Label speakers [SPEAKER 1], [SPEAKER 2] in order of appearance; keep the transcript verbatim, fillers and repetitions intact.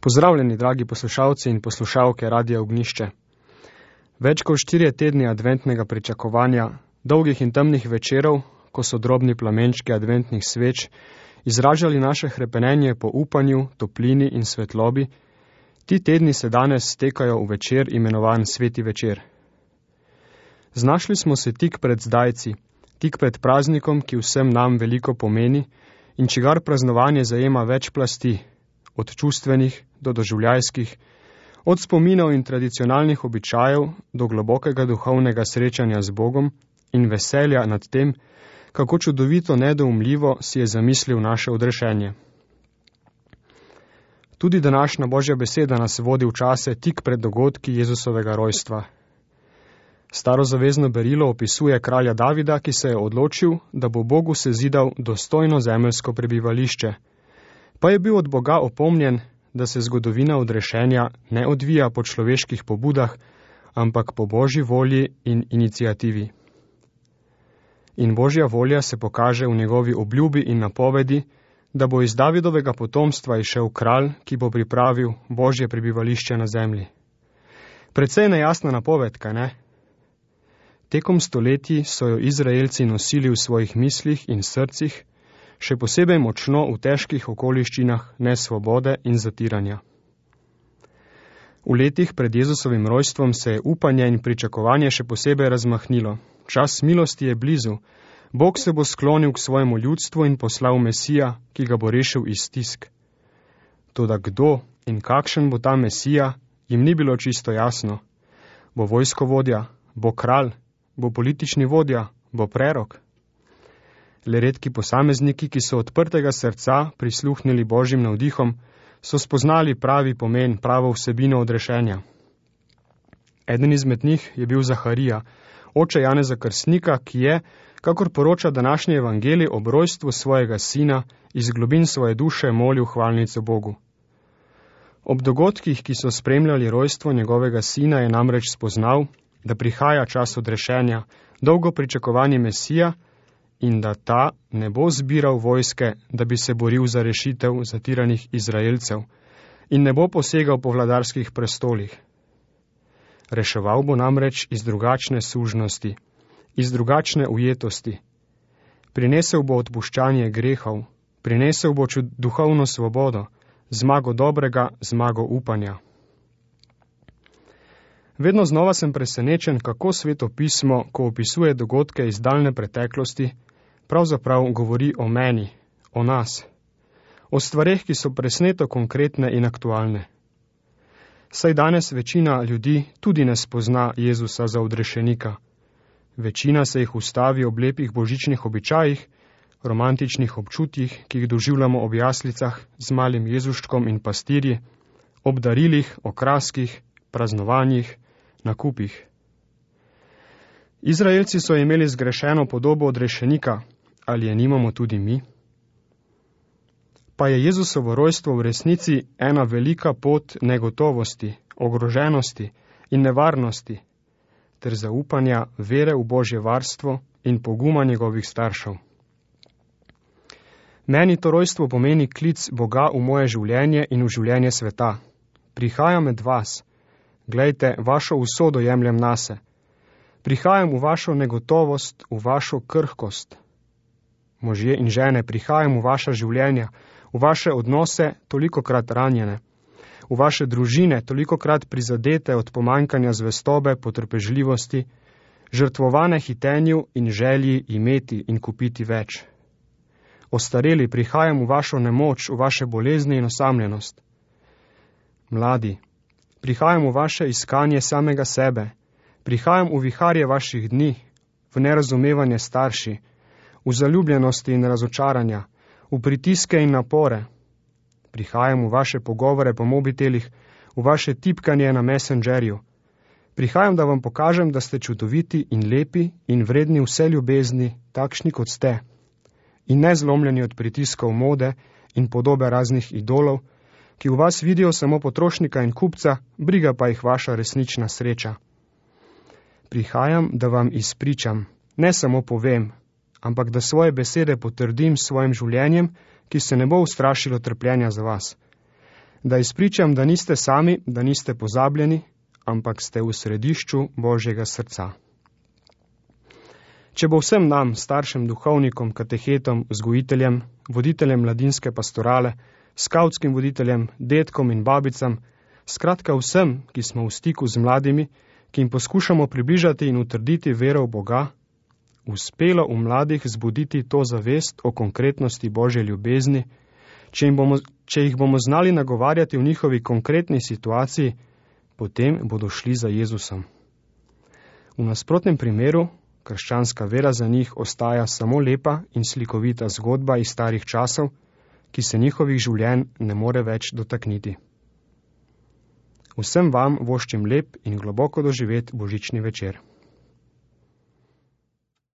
[SPEAKER 1] Pozdravljeni, dragi poslušalci in poslušalke Radia Ognjišče. Več kot štirje tedni adventnega pričakovanja, dolgih in temnih večerov, ko so drobni plamenčki adventnih sveč izražali naše hrepenenje po upanju, toplini in svetlobi, ti tedni se danes stekajo v večer imenovan Sveti večer. Znašli smo se tik pred zdajci, tik pred praznikom, ki vsem nam veliko pomeni in čigar praznovanje zajema več plasti, od čustvenih do doživljajskih, od spominov in tradicionalnih običajev do globokega duhovnega srečanja z Bogom in veselja nad tem, kako čudovito nedoumljivo si je zamislil naše odrešenje. Tudi današnja Božja beseda nas vodi v čase tik pred dogodki Jezusovega rojstva. Starozavezno berilo opisuje kralja Davida, ki se je odločil, da bo Bogu sezidal dostojno zemeljsko prebivališče, pa je bil od Boga opomnjen, da se zgodovina odrešenja ne odvija po človeških pobudah, ampak po Božji volji in iniciativi. In Božja volja se pokaže v njegovi obljubi in napovedi, da bo iz Davidovega potomstva išel kralj, ki bo pripravil Božje prebivališče na zemlji. Precej nejasna napoved, kaj ne? Tekom stoletij so jo Izraelci nosili v svojih mislih in srcih, še posebej močno v težkih okoliščinah nesvobode in zatiranja. V letih pred Jezusovim rojstvom se je upanje in pričakovanje še posebej razmahnilo. Čas milosti je blizu. Bog se bo sklonil k svojemu ljudstvu in poslal Mesija, ki ga bo rešil iz stisk. Toda kdo in kakšen bo ta Mesija, jim ni bilo čisto jasno. Bo vojskovodja, bo kralj, bo politični vodja, bo prerok? Le redki posamezniki, ki so odprtega srca prisluhnili Božjim navdihom, so spoznali pravi pomen, pravo vsebino odrešenja. Eden izmed njih je bil Zaharija, oče Janeza Krstnika, ki je, kakor poroča današnji evangelij, ob rojstvu svojega sina iz globin svoje duše molil hvalnico Bogu. Ob dogodkih, ki so spremljali rojstvo njegovega sina, je namreč spoznal, da prihaja čas odrešenja, dolgo pričakovani Mesija, in da ta ne bo zbiral vojske, da bi se boril za rešitev zatiranih Izraelcev in ne bo posegal po vladarskih prestolih. Reševal bo namreč iz drugačne sužnosti, iz drugačne ujetosti. Prinesel bo odpuščanje grehov, prinesel bo duhovno svobodo, zmago dobrega, zmago upanja. Vedno znova sem presenečen, kako Sveto pismo, ko opisuje dogodke iz daljne preteklosti, pravzaprav govori o meni, o nas, o stvareh, ki so presneto konkretne in aktualne. Saj danes večina ljudi tudi ne spozna Jezusa za odrešenika. Večina se jih ustavi ob lepih božičnih običajih, romantičnih občutjih, ki jih doživljamo ob jaslicah z malim Jezuščkom in pastirji, ob darilih, okraskih, praznovanjih, nakupih. Izraelci so imeli zgrešeno podobo odrešenika, ali je nimamo tudi mi? Pa je Jezusovo rojstvo v resnici ena velika pot negotovosti, ogroženosti in nevarnosti, ter zaupanja vere v Božje varstvo in poguma njegovih staršev. Meni to rojstvo pomeni klic Boga v moje življenje in v življenje sveta. Prihajam med vas, glejte, vašo usodo jemljem nase. Prihajam v vašo negotovost, v vašo krhkost. Možje in žene, prihajam v vaša življenja, v vaše odnose tolikokrat ranjene, v vaše družine tolikokrat prizadete od pomanjkanja zvestobe, potrpežljivosti, žrtvovane hitenju in želji imeti in kupiti več. Ostareli, prihajam v vašo nemoč, v vaše bolezni in osamljenost. Mladi, prihajam v vaše iskanje samega sebe, prihajam v viharje vaših dni, v nerazumevanje starši, v zaljubljenosti in razočaranja, v pritiske in napore. Prihajam v vaše pogovore po mobitelih, v vaše tipkanje na Messengerju. Prihajam, da vam pokažem, da ste čudoviti in lepi in vredni vse ljubezni, takšni kot ste, in ne zlomljeni od pritiskov mode in podobe raznih idolov, ki v vas vidijo samo potrošnika in kupca, briga pa jih vaša resnična sreča. Prihajam, da vam izpričam, ne samo povem, ampak da svoje besede potrdim s svojim življenjem, ki se ne bo ustrašilo trpljenja za vas. Da izpričam, da niste sami, da niste pozabljeni, ampak ste v središču Božjega srca. Če bo vsem nam, staršem, duhovnikom, katehetom, vzgojiteljem, voditeljem mladinske pastorale, skavtskim voditeljem, dedkom in babicam, skratka vsem, ki smo v stiku z mladimi, ki jim poskušamo približati in utrditi vero v Boga, uspelo v mladih zbuditi to zavest o konkretnosti Božje ljubezni, če, jim bomo, če jih bomo znali nagovarjati v njihovi konkretni situaciji, potem bodo šli za Jezusom. V nasprotnem primeru krščanska vera za njih ostaja samo lepa in slikovita zgodba iz starih časov, ki se njihovih življenj ne more več dotakniti. Vsem vam voščim lep in globoko doživet božični večer.